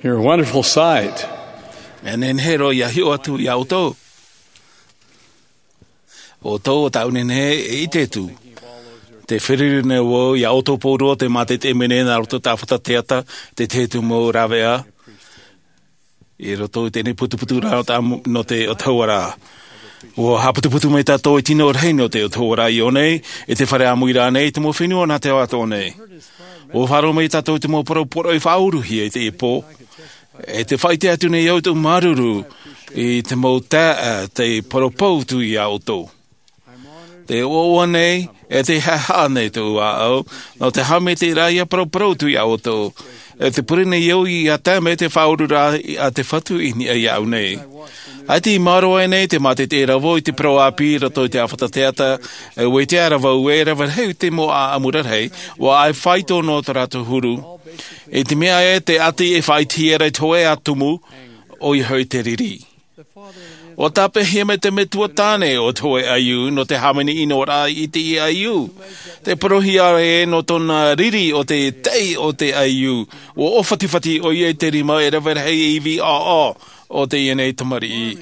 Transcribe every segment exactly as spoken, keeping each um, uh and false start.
You're a wonderful sight. Mea nehenehe roa ia hiʻo atu iā ʻoutou. ʻOutou, ʻo tāʻu nei e ʻite atu. Te feruri nei vau iā ʻoutou pauroa te mātaʻitaʻi mai nei nā roto i te fata teata, te tahi atu mau rāveʻa. I roto i teie nei putuputu ra nō te, nō te ʻautahuʻaraʻa. ʻUa haʻaputuputu mai tātou i te tino rahi nō te ʻautahuʻaraʻa i ʻō nei, i te fare ʻāmui ra nei, i te mau fenua nā te ao atoʻa nei. ʻUa faʻaroʻo mai tātou i te mau parau poroʻi faʻauruhia i teie pō. E te faʻaʻite atu nei au i tōʻu māuruuru i te mau taeaʻe, te parau pautu iā ʻoutou. Te ʻoaʻoa nei, e te haʻehaʻa nei tōʻu ʻāʻau, nō te haʻamaitaʻiraʻa ia parauparau atu iā ʻoutou. E te pure nei au ia tae mai te faʻaururaʻa a te Fatu i niʻa iāʻu nei. ʻAita i maoro aʻe nei te mātaʻitaʻiraʻa vau i te parau ʻāpī i roto i te fata teata, e ʻua ʻite ra vau e rave rahi te mau ʻāʻamu rarahi, ʻua ʻai faito nō tō rātou huru. I te mea ē, te ʻati e faʻaʻitehia ra i te hōʻē ā tumu, ʻoia hoʻi te riri. ʻUa tāpeʻahia mai te metua tāne o te hōʻē ʻaiū nō te hāmani ʻino ra i teie ʻaiū. Te parauhia ē nō tōna riri ʻo te taʻi o te ʻaiū. ʻUa ʻōfatifati ʻoia i te rima e rave rahi e ivi ʻāʻau o teie nei tamariʻi.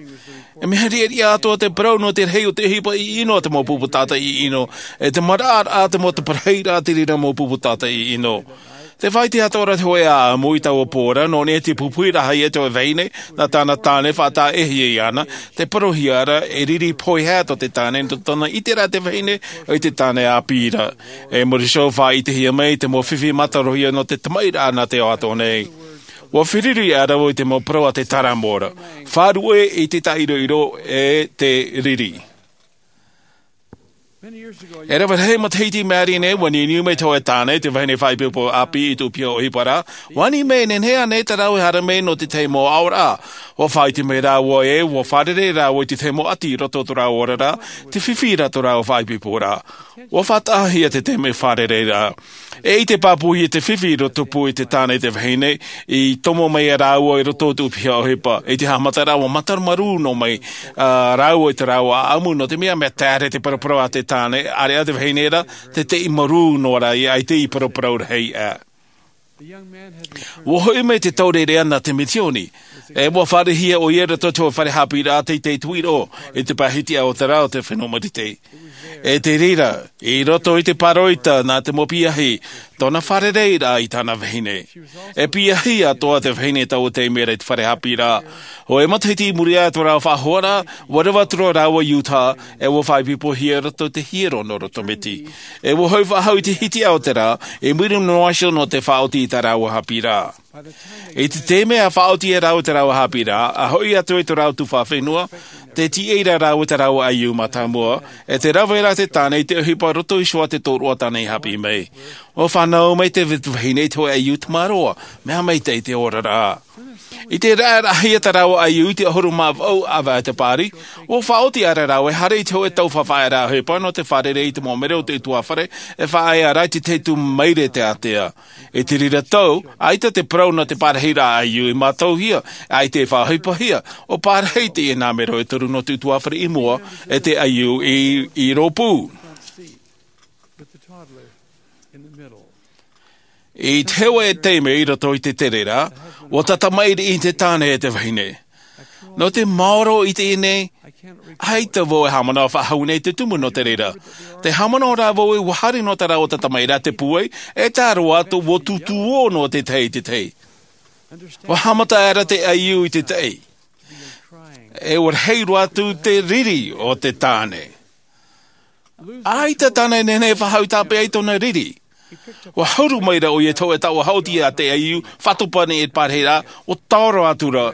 E mea riʻariʻa atoʻa te parau nō te rahi o te ʻohipa ʻiʻino a te mau pupu tātaʻi ʻino, e te maraʻaraʻa te mau parahiraʻa te reira mau pupu tātaʻi ʻino. Te faʻaʻite atoʻa ra te hōʻē ʻāʻamu i taua pō ra, nō niʻa i te pupuhiraʻahia e te vahine, nā tāna tāne faʻataʻahia iāna, te parauhia ra, e riri pohe atoʻa te tāne, nō tōna ʻiteraʻa te vahine, i te tāne ʻāpī ra. E muri iho faʻaʻitehia mai te mau fifi mātarohia nō te tamaʻiraʻa nā te ao atoʻa nei. ʻUa feruri aʻera vau i te mau parau a te taramo ra. Faʻaruʻe i te taʻiroʻiro e te riri. E rave rahi matahiti i maʻiri nei, ʻua niuniu mai te hōʻē tāne, te vahine faʻaipoipo ʻāpī i tōʻu piha ʻohipa ra. ʻUa ani mai e nehenehe ānei tā rāua e haere mai nō te tahi mau aʻoraʻa. ʻUa faʻaʻite mai rāua ē, ʻua fārerei rāua i te tahi mau ʻati i roto i tō rāua oraraʻa, te fifi ra tō rāua faʻaipoipo ra. ʻUa faʻataʻahia te taime fārereiraʻa. E ʻite pāpūhia te fifi i roto pū i te tāne i te vahine, i tomo mai ia rāua i roto i tōʻu piha ʻohipa. I te haʻamataraʻa ʻua mātaro marū noa mai, ā, rāua i tā rāua ʻāʻamu, nō te mea mea taere te paraparau a te tāne, ʻāreʻa te vahine ra, te taʻi marū noa ra ia, ʻaita i paraparau rahi aʻe. ʻUa hoʻi mai te taureʻareʻa nā te misioni. E ʻua fāriʻihia ʻoia i roto i te fare haʻapiʻiraʻa teitei tuiroʻo, i te pae hitiʻa o te rā o te fenua Marite. E te reira, i roto i te pāroita nā te mau piahi, tōna fārereiraʻa i tāna vahine. E piahi atoʻa te vahine i taua taime ra i te fare haʻapiʻiraʻa. ʻO e matahiti i muri aʻe i tō rāua faʻahoaraʻa, ʻua reva atu ra rāua i Utah, e ʻua faʻaipoipohia i roto i te hiero nō Rotomiti. E ʻua hoʻi faʻahou i te hitiʻa o te rā, i muri noa iho nō te faʻaoti i tā rāua haʻapiʻiraʻa. I te taime a faʻaoti ia rāua i tā rāua haʻapiʻiraʻa, a hoʻi atu i tō rāua tuhaʻa fenua, tē tīaʻi ra rāua i tā rāua ʻaiū mātāmua, e tē rave ra te tāne i te ʻohipa roto iho i te tōroʻa tāne i haʻapiʻi mai. ʻUa fānau mai te vahine i te hōʻē ʻaiū tamaroa, mea maitaʻi te oraraʻa. I te raʻaraʻahia tā rāua ʻaiū i te ʻahuru mā vaʻu ʻāvaʻe te pāri, ʻua faʻaoti aʻera rāua e haere i te hōʻē taufafaʻaraʻa ʻohipa nō te fārerei i te mau mero o te ʻutuāfare, e faʻaea ra i te tahi atu maire te ātea. I te reira tau, ʻaita te parau nō te pārahiraʻa ʻaiū i mātauhia, ʻaita e faʻaʻohipahia, ʻua pārahi teie nā mero e toru nō te ʻutuāfare i mua, e te ʻaiū i, i rōpū. I te hōʻē taime i roto i te tere ra, ʻua tata maʻiri te tāne e te vahine. Nō te maoro i teie nei, ʻaita vau e haʻamanaʻo faʻahou nei te tumu nō te reira. Tē haʻamanaʻo ra vau ē ʻua haere noa tā rāua tata maʻiri i te pūai, e tā roa atu ʻua tūtū ʻō noa te tahi i te tahi. ʻUa haʻamata aʻera te ʻaiū i te taʻi. E ʻua rahi roa atu te riri o te tāne. ʻAita tāna e nehenehe e faʻahou i tāpeʻa i tōna riri. ʻUa hauru mai ra ʻoia i te hōʻē taoʻa haʻoti a te ʻaiū, faʻatopa nei i te pārahiraʻa, ʻua taoro atu ra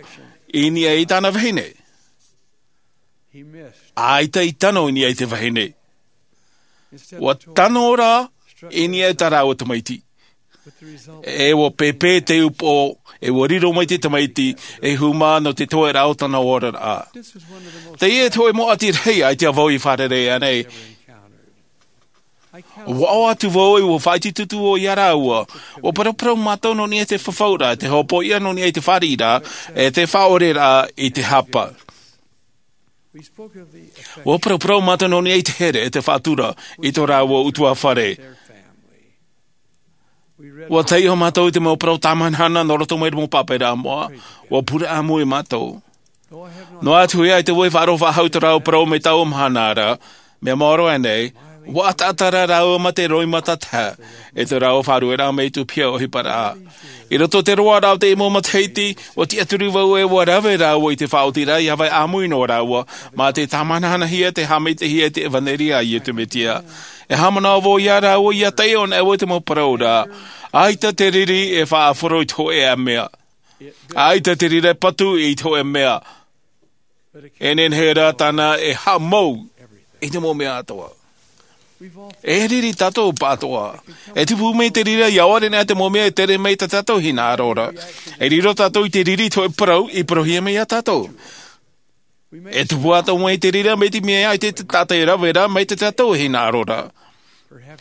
i niʻa i tāna vahine. ʻAita i tano i niʻa i te vahine. ʻUa tano ra i niʻa i tā rāua tamaiti. E ʻua pēpē te upoʻo, e ʻua riro mai te tamaiti, e hūmā nō te toeʻa o tana oraraʻa. Teie te hōʻē mau ʻati rahi ʻaita vau i fārerei ānei. ʻUa ʻoaʻoa atu vau ē ʻua faʻaitoito ʻoe ia rāua. ʻUa paraparau mātou nō niʻa i te fafauraʻa, te hopoiʻa nō niʻa i te fāriʻiraʻa, e te faʻaʻoreraʻa i te hapa. ʻUa paraparau mātou nō niʻa i te here, e te faʻatura, i tō rāua ʻutuāfare. Ua taiʻo mātou i te mau parau tāmahanahana nō roto mai i te mau pāpaʻiraʻa moʻa. Ua pure ʻāmui mātou. Noa atu ia i te vai faʻaroʻo faʻahou i tō rāua parau mai taua mahana ra, mea maoro aʻe nei, ua ʻataʻata rā rāua mā te roimata taha i tō rāua faʻarueraʻa mai i te ʻohipa ʻohiparaʻa. I roto i te roaraʻa o te mau matahiti, ua tiʻaturi vau ē ua rave rāua i te faʻaotiraʻa ʻia vai ʻāmui noa rāua mā te tāmanahanahia, te haʻamaitaʻihia i te ʻevanelia a Iesu Mesia. E haʻamanaʻo vau ia rāua ʻia taiʻo anaʻe vau i te mau parau ra, ʻaita te riri e faʻaʻāfaro i te hōʻē mea. ʻAita te riri e patu i te hōʻē mea. E nehenehe rā tāna e haʻamau i te mau mea atoʻa. E riri tātou pāʻatoʻa. E tupu mai te riri ʻia ʻore anaʻe te mau mea e tere mai i tā tātou hinaʻaro ra. E riro tātou i te riri i te hōʻē parau i parauhia mai ia tātou. E tupu atoʻa mai te riri mai te mea ʻaita te taʻata e rave ra mai tā tātou hinaʻaro ra.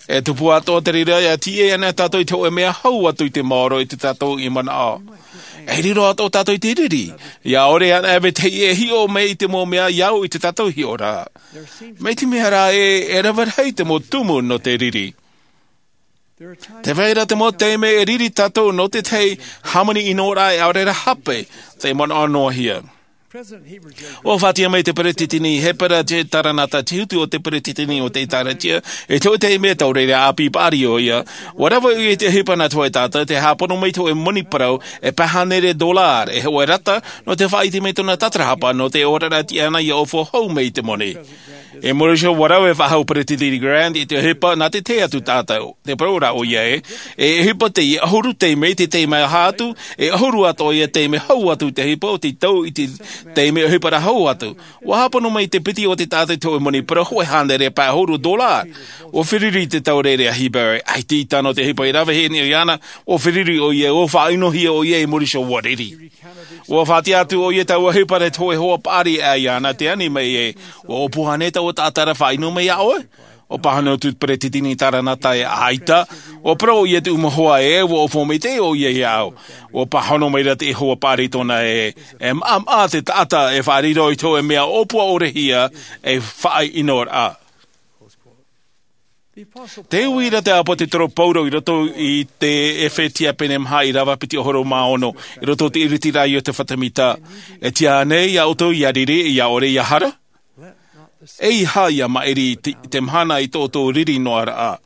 E tupu atoʻa te riri ʻia tīaʻi anaʻe tātou i te hōʻē mea hau atu i te maoro i tā tātou manaʻo. E riro atoʻa tātou i te riri ʻia ʻore anaʻe vetahi e hiʻo mai i te mau mea ʻia au i tā tātou hiʻoraʻa. Mai te mea rā ē, e rave rahi te mau tumu nō te riri. Tē vai ra te mau taime e riri tātou nō te tahi hāmani ʻino ra e ʻaore rā hape, te manaʻo noa hia. Ua faʻatiʻa mai te peretiteni Hepera J. Taranata, te hutu o te peretiteni o te ʻĒtārētia, i te hōʻē taime taureʻareʻa ʻāpī paʻari ʻoia. Ua rave ʻoia i te ʻohipa nā te hōʻē taʻata, tē haʻapono mai te hōʻē moni parau e pae hānere dolāra, e hōʻē rata nō te faʻaʻite mai tōna tatarahapa nō te oraraʻa tiʻa ʻana ʻia ʻōfua hou mai i te moni. I muri iho, ua rave faʻahou Peretiteni Grant i te ʻohipa nā te tahi atu taʻata, te parau ra ʻoia ē, e ʻohipa teie ʻahuru taime i te taime aha atu, e ʻahuru atoʻa ia taime hau atu i te ʻohipa o te tau i te taime ʻohipa ra hau atu. Ua haʻapono mai te piti o te taʻata i te hōʻē moni parau hōʻē hānere pae ʻahuru dolāra. Ua feruri te taureʻareʻa Hepera, ʻaita i tano te ʻohipa i ravehia nei iāna, ua feruri ʻoia, ua faʻaʻinohia ʻoia i muri iho ua riri. Ua faʻatiʻa atu ʻoia i taua ʻohipa ra i te hōʻē hoa paʻari ʻē iāna, tē ani mai ē, ʻua ʻōpua ānei taua taʻata ra e faʻaʻino mai iā ʻoe? ʻUa pāhono atu te peretiteni Taranata ē, ʻaita. ʻUa parau ʻoia i te mau hoa ē, ʻua ʻōpua maitaʻi ʻoia iāʻu. ʻUa pāhono mai ra te hoa paʻari tōna ē, e maʻamaʻa te taʻata e faʻariro i te hōʻē mea ʻōpua ʻore hia ei faʻaʻinoraʻa. Tē ui ra te ʻāpōsetolo Paulo i roto i te ʻEfetia pene maha, ʻīrava piti ʻahuru mā ono, i roto i te ʻiritiraʻa o te fata mita. E tiʻa ānei iā ʻoutou ʻia riri, ʻia ʻore, ʻia hara? ʻEiaha ʻia maʻiri i te, te mahana i tō ʻoutou riri noa ra.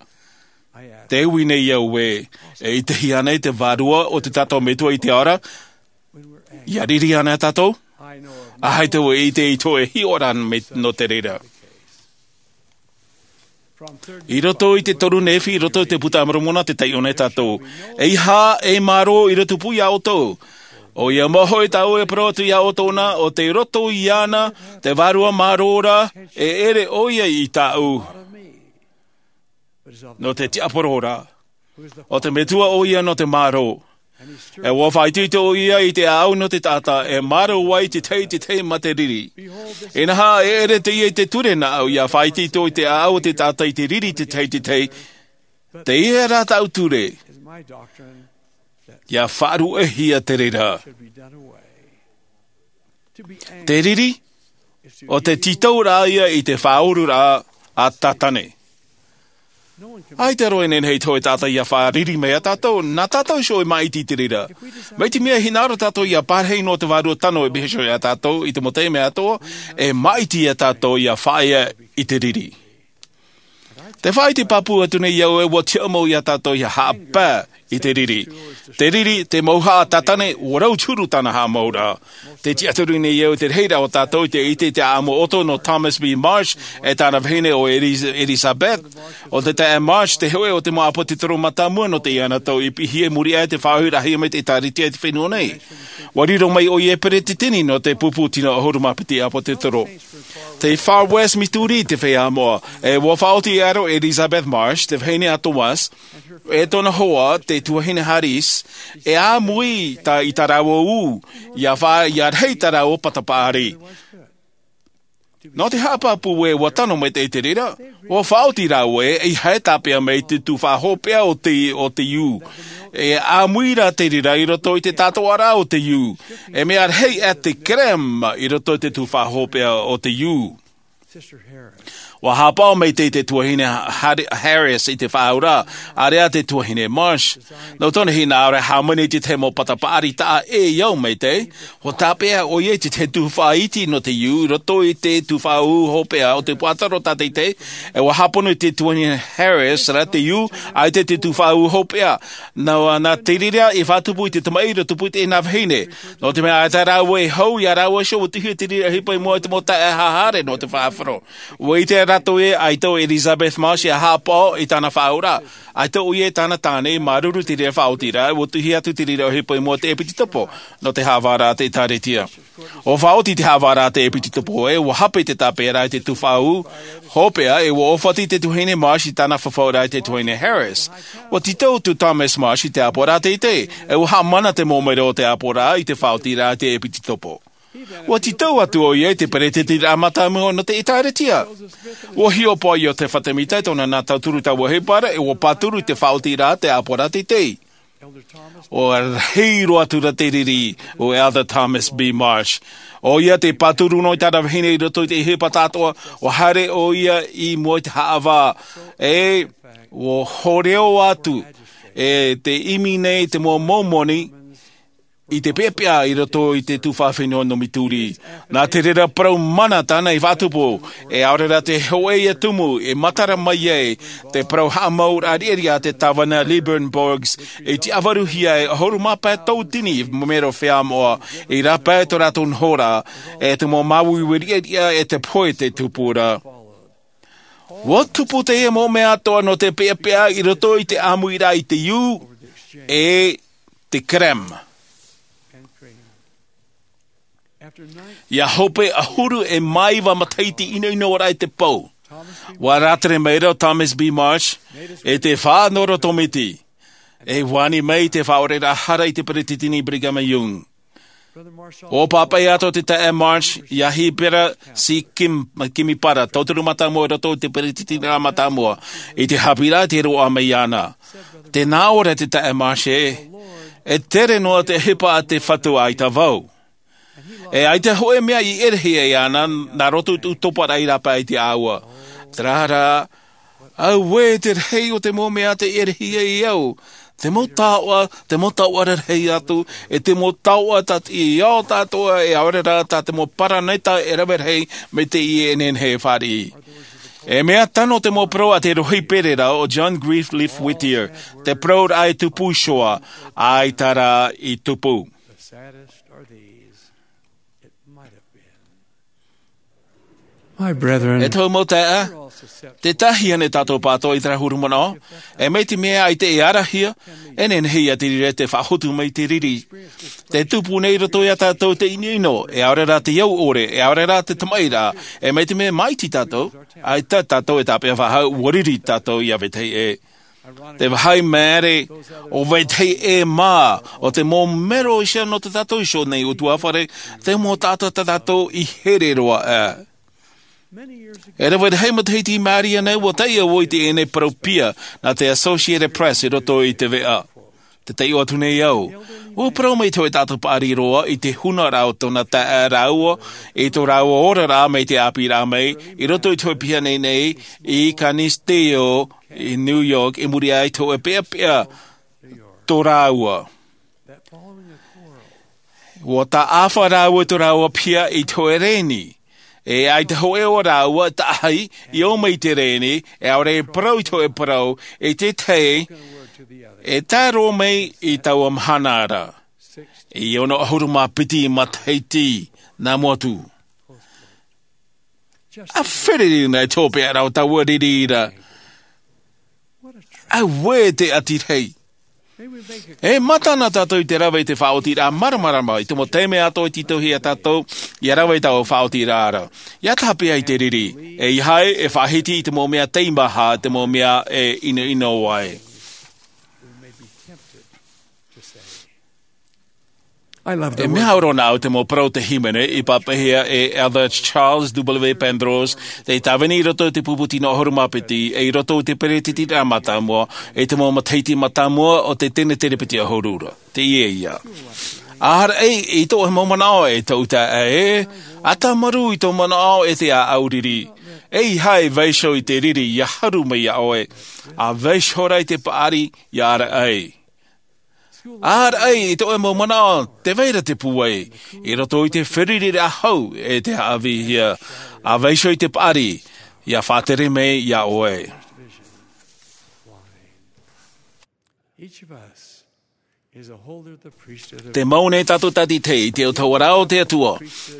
Tē ui nei au ē, e ʻitehia ānei te Vārua o te tātou Metua i te ao ra, ʻia riri ānei tātou? ʻAita vau e ʻite i te hōʻē hiʻoraʻa mai nō te reira. I roto i te toru Nephi, i roto i te Puta a Moromona, tē taiʻo nei tātou. ʻEiaha e mārō i roto pū iā ʻoutou. ʻOia mau hoʻi tāʻu e parau atu iā ʻoutou na, ʻo tei roto iāna te Vārua Mārō ra, e ʻere ʻoia iā tāʻu. Nō te tiaporo ra. ʻO te Metua ʻoia nō te mārō. E ʻua faʻaitoito ʻoia i te ʻāʻau nō te taʻata, e mārō ai te tahi i te tahi mā te riri. Inaha, e ʻere teie i te ture nāʻu, ʻia faʻaitoito i te ʻāʻau o te taʻata i te riri i te tahi i te tahi. Teie rā tāʻu ture, ʻia faʻaruʻehia te reira. Te riri, ʻo te tītau rā ia i te faʻaururaʻa a Tātane. ʻAita roa e nehenehe i te hōʻē taʻata ʻia faʻariri mai iā tātou, nā tātou iho e māʻiti i te reira. Mai te mea e hinaʻaro tātou ʻia pārahi noa te Vārua tano e piha iho iā tātou i te mau taime atoʻa, e māʻiti iā tātou ʻia faʻaea i te riri. Te faʻaʻite pāpū atu nei au ē, ʻua tiʻa mau iā tātou ʻia haʻapae i te riri. Te riri, te mauhaʻa a Tātane, ʻua rau te huru tāna haʻamauraʻa. Tē tiʻaturi nei au te rahiraʻa o tātou i te ʻite i te ʻāʻamu ʻoto nō Thomas B. Marsh, e tāna vahine ʻo Eliz-, Elizabeth. ʻO te taeaʻe Marsh te hōʻē o te mau ʻāpōsetolo mātāmua nō teie tau i piʻihia i muri aʻe i te faʻaʻohipahia mai te ʻĒtārētia i te fenua nei. ʻUa riro mai ʻoia ei peretiteni nō te pupu tino ʻahuru mā piti ʻāpōsetolo. Tei Far West Missouri te feiā moʻa, e ʻua faʻaoti ʻia raro ʻo Elizabeth Marsh, te vahine a Thomas, e tōna hoa, te tuahine Harris, e āmui tā, i tā rāua ū, ʻia fa-, ʻia rahi tā rāua pata paʻari. Nō te haʻapāpū ē, ʻua tano maitaʻi te reira, ʻua faʻaoti rāua ē, ʻeiaha e tāpeʻa mai te tufaʻa hopeʻa o te, o te ū. E āmui rā te reira i roto i te tātoʻaraʻa o te ū. E mea rahi aʻe te kerema i roto i te tufaʻa hopeʻa o te ū. Ua hāpaʻo maitaʻi te tuahine Har- Harris i te faʻaauraʻa, ʻāreʻa te tuahine Marsh. Nō tōna hinaʻaro e hāmani i te tahi mau pata paʻari taʻa ʻē i au maitaʻi. Ua tāpeʻa ʻoia i te tahi tuhaʻa iti nō te iu i roto i te tuhaʻa hopeʻa o te puaʻatoro tātaitahi. E ua hāpono i te tuahine Harris rā te iu, ʻaita te tuhaʻa hopeʻa. Nā, nā te reira i faʻatupu i te tamaʻi i roto i te nā vahine. Nō te mea ʻaita rāua e hau, ia rāua iho ua tuʻu te reira ʻohipa i mua i te mau taeaʻe haere nō te faʻaroʻo. Ua ʻite rātou ē, ʻaita ʻo Elizabeth Marsh ia hāpaʻo i tāna faʻaauraʻa. ʻAita ʻoia e tāna tāne i māuruuru i te reira faʻaotiraʻa, ua tuʻu atu te reira ʻohipa i mua i te ʻēpititopo, nō te haʻavāraʻa i te ʻĒkālesia. ʻUa faʻaoti te haʻavāraʻa i te ʻēpititopo ē, ua hape te tāpeʻaraʻa i te tuhaʻa hopeʻa, e ua ʻōfati te tuahine Marsh i tāna fafauraʻa i te tuahine Harris. Ua tītau atu Thomas Marsh i te ʻāpoʻoraʻa teitei, e ua haʻamana te mau mero o te ʻāpoʻoraʻa i te faʻaotiraʻa i te ʻēpititopo. Ua tītau atu ʻoia i te peretiteniraʻa mātāmua nō te ʻĒkālesia. Ua hiʻopoʻa Iosepha Semita i tōna nā tauturu taua ʻohipa ra, e ua pāturu i te faʻaotiraʻa i te ʻāpoʻoraʻa teitei. ʻUa rahi roa atu rā te riri o Elder Thomas B. Marsh. ʻOia te pāturu noa i tāna vahine i roto i te ʻohipa tāʻātoʻa, ua haere ʻoia i mua i te haʻavā. E ua hōroʻa atu e te ʻimi nei te mau Momoni i te peʻapeʻa i roto i te tuhaʻa fenua nō Missouri. Nā te reira parau mana tāna i faʻatupu, e ʻaore rā te hōʻē ia tumu e matara mai ai te parau haʻamauraʻa riʻariʻa a te tāvana Lilburn Boggs, i te ʻāvaruhia e ʻahuru mā pae tauatini mero feiā moʻa, i rāpae tō rātou nohoraʻa, e te mau māuiui riʻariʻa e te pohe i te tupuraʻa. Ua tupu teie mau mea atoʻa nō te peʻapeʻa i roto i te ʻāmuiraʻa i te iu, e te kerem. Ia hope ʻahuru e mā iva matahiti ʻinoʻino raʻa i te pou, ua rātere mai ra ʻo Thomas B. Marsh i te faʻanahoraʻa tōmiti, e ani mai i te faʻaoreraʻa hara i te peretiteni Brigham Young. ʻUa pāpaʻi atoʻa te taeaʻe Marsh ia Heber C. Kim-, Kimball, tauturu mātāmua i roto i te peretiteniraʻa mātāmua, i te haʻapiʻiraʻa i te roaʻa mai iāna. Tē nā ʻō ra te taeaʻe Marsh ē, e tere noa te ʻohipa a te Fatu ʻaita vau. E ʻaita hōʻē mea i ʻerehia iāna, nā roto i tō toparaʻa i rāpae i te ʻāua. Terā rā, auē te rahi o te mau mea tē ʻerehia iāʻu. Te mau taoʻa, te mau taoʻa rarahi atu, e te mau taoʻa tātaʻitahi tāʻātoʻa, e ʻaore rā tā te mau paraneta e rave rahi mai teie e nehenehe e fāriʻi. E mea tano te mau parau a te rohipereraʻa ʻo John Greenleaf Whittier, te parauraʻa e tupu iho ā, ʻaita rā i tupu. The saddest are these. It might have been. My brethren, E tōʻu mau taeaʻe, tē tahi ana tātou pāʻatoʻa i terā huru manaʻo, e mai te mea ʻaita e ʻarahia, e nehenehe ia te reira tē faʻahotu mai te riri. Tē tupu nei i roto ia tātou te ʻinoʻino, e ʻaore rā te au ʻore, e ʻaore rā te tamaʻiraʻa, e mai te mea māʻiti tātou, ʻaita tātou e tāpeʻa faʻahou, ua riri tātou ia vetahi ʻē. Te vāhi māere, ʻo vetahi ʻē mā, ʻo te mau mero iho nō tā tātou iho nei ʻutuāfare, te mau taʻata tā tātou i here roa aʻe. E rave rahi matahiti i maori nei, ua taiʻo vau i teie nei parau piha nā te Associated Press i roto i te veʻa. Tē taiʻo atu nei au. ʻUa parau mai te hōʻē taʻata paʻari roa i te hunaraʻa o tōna taeaʻe rāua, i tō rāua oraraʻa mai te ʻāpīraʻa mai, i roto i te hōʻē piha nei nei, i Canisteo, i New York, i muri aʻe i te hōʻē peʻapeʻa tō rāua. ʻUa taʻafa rāua i tō rāua piha i te hōʻē rēni. E ʻaita hōʻē o rāua, taʻahi, i ō mai i te rēni, e ʻaore e parau i te hōʻē parau, e te tahi, e tae roa mai i taua mahana ra. I ono ʻahuru mā piti matahiti nā mua atu. ʻA fererina e tō pea rau taua riri ra. Auē te ʻati rahi. E mātana tātou i te rave i te faʻaotiraʻa māramarama i te mau taime atoʻa i tītauhia tātou, ia rave i taua faʻaotiraʻa ra. Ia tāpeʻa i te riri. E ia haere, e faʻahiti i te mau mea teimaha, te mau mea e ʻinoʻino ai. I love the E mea word. Ora nā au te mau parau te hīmene i pāpaʻihia e Elder Charles W. Pendrose, tei tāvini i roto i te pupu tino ʻahuru mā piti, e i roto i te peretiteniraʻa mātāmua, i te mau matahiti mātāmua o te tene tere piti ʻahuru ra. Teie ia. ʻAhara ei, i tō mau manaʻo e tō uta e, ʻa tāmarū i tō manaʻo e te ʻāʻau riri. E ʻeiaha e vaiiho i te riri ia haru mai iā ʻoe, a vaiiho rā i te paʻari ia ʻaraʻai. A ʻaraʻai i tō ʻoe mau manaʻo, tē vai ra te pūai i roto i te feruriraʻa hou e te haʻavīhia. A vaiiho i te paʻari ia faʻatere mai iā ʻoe. Each of us is a holder of the priesthood of Te mau nei tātou tātaʻitahi i te autahuʻaraʻa o te Atua.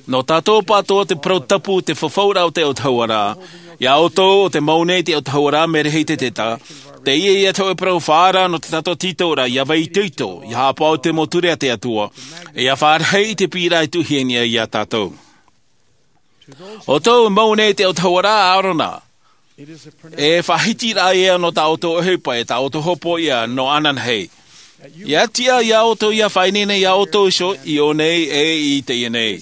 Nō tātou pāʻatoʻa te parau tapu, te fafauraʻa o te autahuʻaraʻa. Iā ʻoutou, ʻo te mau nei te autahuʻaraʻa, mea rahi te teta. Teie ia te hōʻē parau faʻaara nō tā tātou tītauraʻa, ia vai itoito, ia haʻapaʻo i te mau ture a te Atua, e ia fāriʻi i te piʻiraʻa e tuʻuhia nei iā tātou. ʻO tō mau nei te autahuʻaraʻa a ʻĀrona, e faʻahitiraʻa ia nō tā ʻoutou ʻohipa, e tā ʻoutou hopoiʻa nō ananahi. Ia tiʻa iā ʻoutou ia faʻaineine iā ʻoutou iho i ʻō nei e i teie nei.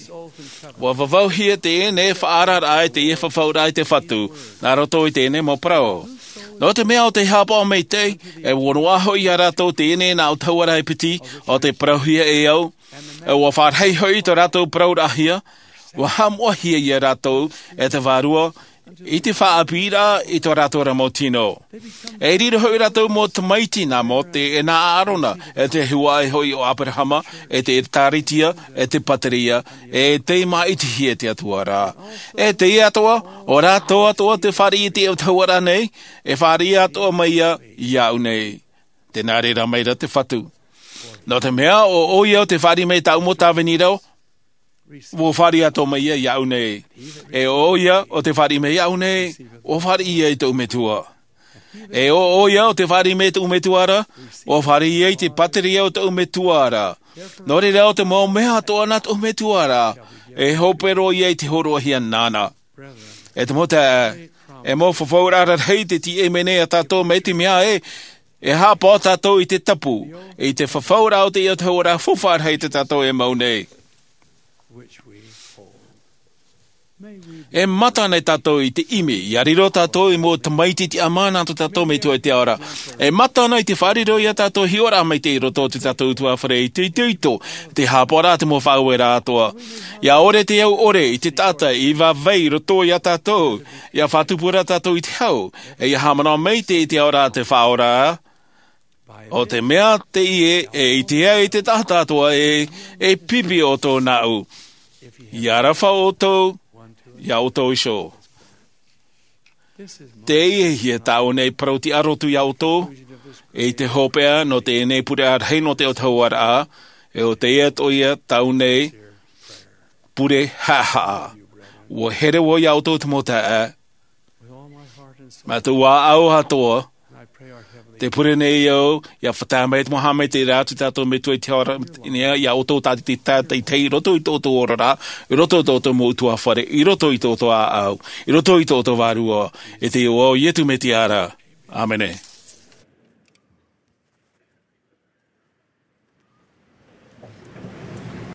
ʻUa vavauhia teie nei faʻaararaʻa e teie fafauraʻa i te Fatu, nā roto i teie nei mau parau. Nō te mea ʻo tei haʻapaʻo maitaʻi, e ʻua noaʻa hoʻi iā rātou teie nei nā autahuʻaraʻa e piti, ʻo tei parauhia e au, e ʻua fāriʻi hoʻi tō rātou parauraʻahia, ʻua haʻamoʻahia iā rātou e te Vārua i te faʻaʻāpīraʻa i tō rātou ra mau tino. E riro hoʻi rātou mau tamaiti nā Mōte, e nā ʻĀrona, e te huaʻai hoʻi o Aberahama, e te ʻĒtārētia, e te pātireia, e tei māʻitihia e te Atua ra. E teie atoʻa, ʻo rātou atoʻa tē fāriʻi i te autahuʻaraʻa nei, e fāriʻi atoʻa mai ia iāʻu nei. Tē nā reira mai ra te Fatu. Nō te mea, ʻo ʻoia ʻo tē fāriʻi mai i tāʻu mau tāvini ra, ʻua fāriʻi atoʻa mai ia iāʻu nei. E ʻo ʻoia ʻo tē fāriʻi mai iāʻu nei, ʻua fāriʻi ia i tōʻu Metua. E ʻo ʻoia ʻo tē fāriʻi mai i tōʻu Metua ra, ʻua fāriʻi ia i te pātireia o tōʻu Metua ra. Nō reira, ʻo te mau mea atoʻa nā tōʻu Metua ra, e hope roa ia i te hōroʻahia nāna. E te mau taeaʻe, e mau fafauraʻa rarahi te tiʻa mai nei iā tātou, mai te mea ē, e haʻapaʻo tātou i te tapu, i te fafauraʻa o te autahuʻaraʻa faufaʻa rahi tā tātou e mau nei. E mata nei tātou i te ʻimi, ʻia riro tātou ei mau tamaiti tiʻamā nā tō tātou Metua i te ao ra. E mata nei i te faʻariro iā tātou hiʻoraʻa maitaʻi i roto i tō tātou ʻutuāfare, i te itoito, te haʻapaʻoraʻa, te mau faʻaueraʻa atoʻa. ʻIa ʻore te au ʻore i te taʻata i vāvai i roto iā tātou, ʻia faʻatupu ra tātou i te hau, e ʻia haʻamanaʻo maitaʻi i te ao ra a te Faʻaora. ʻO te mea teie e ʻite ai te taʻata atoʻa ē, e pipi ʻoutou nāʻu. ʻIa aroha ʻoutou iā ʻoutou iho. Teie ia tāʻu nei parau tiʻa roto iā ʻoutou, i te hopeʻa nō teie nei pure rahi nō te autahuʻaraʻa, e ʻo teie atoʻa ia tāʻu nei pure haʻahaʻa. ʻUa here vau iā ʻoutou te mau taeaʻe, mā tōʻu ʻāʻau atoʻa, tē pure nei au, ʻia faʻatae mai te mau haʻamaitaʻiraʻa a tō tātou Metua i te ao ra, iā ʻoutou tātaʻitahi, tātaʻitahi i roto i tō ʻoutou oraraʻa, i roto i tō ʻoutou mau ʻutuāfare, i roto i tō ʻoutou ʻāʻau, i roto i tō ʻoutou Vārua, i te iʻoa o Iesu Mesia ra. ʻĀmene.